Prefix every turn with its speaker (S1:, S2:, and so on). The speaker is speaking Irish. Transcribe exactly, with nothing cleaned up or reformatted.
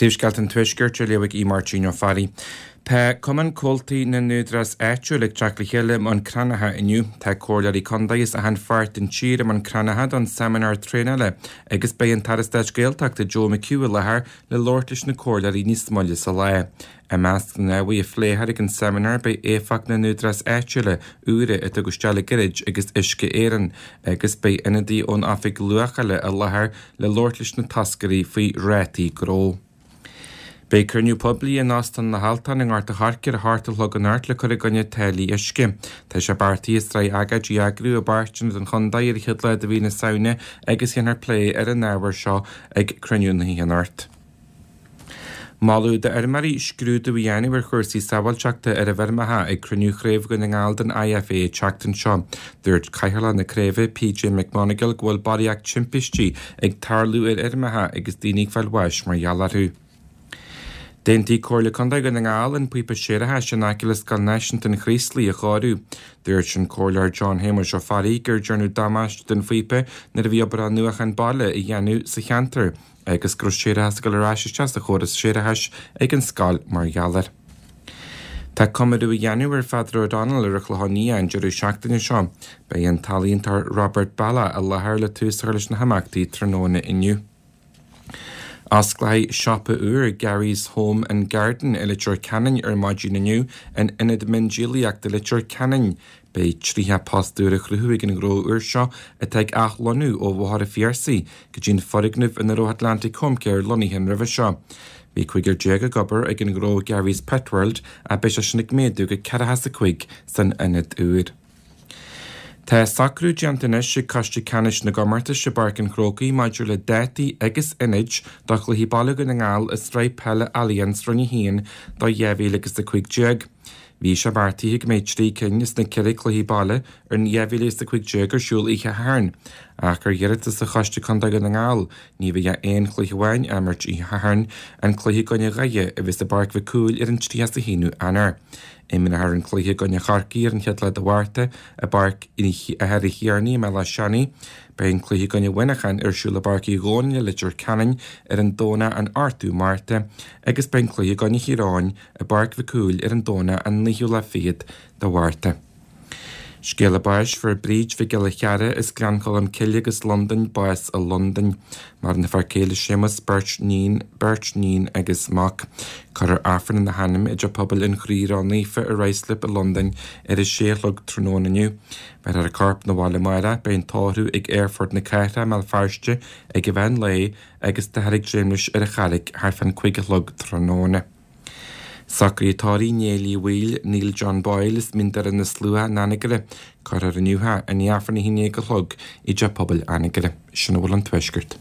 S1: Príomhscéalta an Tuaiscirt á léamh ag Aodh Máirtín Ó Fearraigh. Tá Cumann Comhaltaí na nÚdarás Áitiúil ag teacht le chéile i mBun Cranncha inniu. Tá comhairleoirí contae as achan pháirt den tír i mBun Cranncha don seimineár traenála agus beidh an tAire Stáit Gaeltachta Joe McHugh i láthair le labhairt leis na comhairleoirí níos moille sa lá. I measc na n-ábhar a phléifear ag an seimineár beidh éifeacht na n-údarás áitiúla úra a tugadh isteach le gairid agus Uisce Éireann agus beidh ionadaí ón Oifig Luachála i láthair le labhairt leis na toscairí faoi rátaí gnó. Beidh cruinniú poiblí in Óstán na hAltan i nGort a' Choirce ar a hocht a chlog anocht le cur i gcoinne táillí uisce. Tá sé beartaithe sraith agóidí a eagrú i bpáirteanna den chontae ar an chéad lá de mhí na Samhna agus déanfar plé ar an ábhar seo ag cruinniú na hoíche anocht. Moladh d'fheirmeoirí scrúdú a dhéanamh ar chúrsaí sábháilteachta ar a bhfeirmeacha ag cruinniú Chraobh Dhún na nGall den IFA an tseachtain seo. Dúirt Cathaoirleach na craoibhe PJ McMonagall go bhfuil barraíocht timpistí ag tarlú ar fheirmeacha agus daoine ag fáil bháis mar gheall orthu. D'aontaigh Comhairle Contae Dhún na nGall an píopa séarachais in aice le Scoil Náisiúnta an Chraoslaigh a chóiriú. Dúirt an Comhairleoir John Shéamuis Ó Fearraigh gur déanadh damáiste don phíopa nuair a bhí obair athnuachan baile á dhéanamh sa cheantar agus go raibh séarachas ag dul ar ais isteach sa chóras séarachais ag an scoil mar gheall air. Tá comóradh á dhéanamh ar Pheadar O'Donnell ar an Chlochán Liath an deireadh seachtaine seo. Beidh an t-ealaíontóir Robert Ballagh i láthair le tús a chur leis na himeachtaí tráthnóna inniu. Osclóidh siopa úr Gary's Home and Garden i Leitir Ceanainn ar maidin inniu in Ionad Miondíolaíochta Leitir Ceanainn. Beidh tríocha post úr á chruthú ag an ghnó úr seo atá ag athlonnú ó Bhóthar an Phiarsaigh go dtí an foirgneamh ina raibh Atlantic Home Care lonnaithe roimhe seo. Bhí cúigear déag ag obair ag an ghnó Gary's Pet World ach beidh sé sin ag méadú go ceathracha is a cúig san ionad úr. Tá socrú déanta anois ag Coiste Ceannais na gComórtas i bPáirc an Chrócaigh maidir le dátaí agus ionaid do chluichí baile Dhún na nGall i Sraith Peile Allianz Roinn a haon do dhá mhíle agus a cúig déag. Bhí sé beartaithe go mbeidh trí cinn as na ceithre cluichí baile in dhá mhíle is a cúig déag ar siúl oíche Shathairn, ach ar iarratas ó Choiste Contae Dhún na nGall, ní bheidh ach aon chluiche amháin á imirt oíche Shathairn, an cluiche i gcoinne Dhoire a bheas i bPáirc Mhic Cumhaill ar an tríocha is a haonú Eanáir. Imreofar an cluiche i gcoinne Chorcaí ar an chéad lá de Mhárta i bPáirc Uí Thiarnaigh i mBéal Átha Seanaidh. Beidh an cluiche i gcoinne Mhuineacháin ar siúl i bPáirc Uí Dhónaill i Leitir Ceanainn ar an Domhnach an ochtú Márta agus beidh an cluiche i gcoinne Thír Eoghain i bPáirc Mhic Cumhaill ar an Domhnach an naoú lá fichead de Mhárta. Scéala báis fuair Bríd Mhic Giolla Chearra as Gleann Cholm Cille agus Londain bás i Londain. Maireann a fear céile Séamus beirt níon, beirt níon agus mac. Cuirfear Aifreann ina hainm i dTeach Pobail an Chroí Ró-Naofa i Ruislip i Londain ar a sé a chlog tráthnóna inniu. Béarfar a corp 'na bhaile amárach, beidh an tórramh ag Aerfort na Cathrach i mBéal Feirste ag an mheán lae agus táthar ag dréim leis ar an Charraig thart fán cúig a chlog tráthnóna. Socruithe tórraimh Néill Uí Bhaoill, Neil John Boyle as Mín Doire na Slua in Anagaire. Cuirfear inniu é i ndiaidh Aifreann a haon déag a chlog i dTeach Pobail Anagaire. Sin a bhfuil ón Tuaisceart.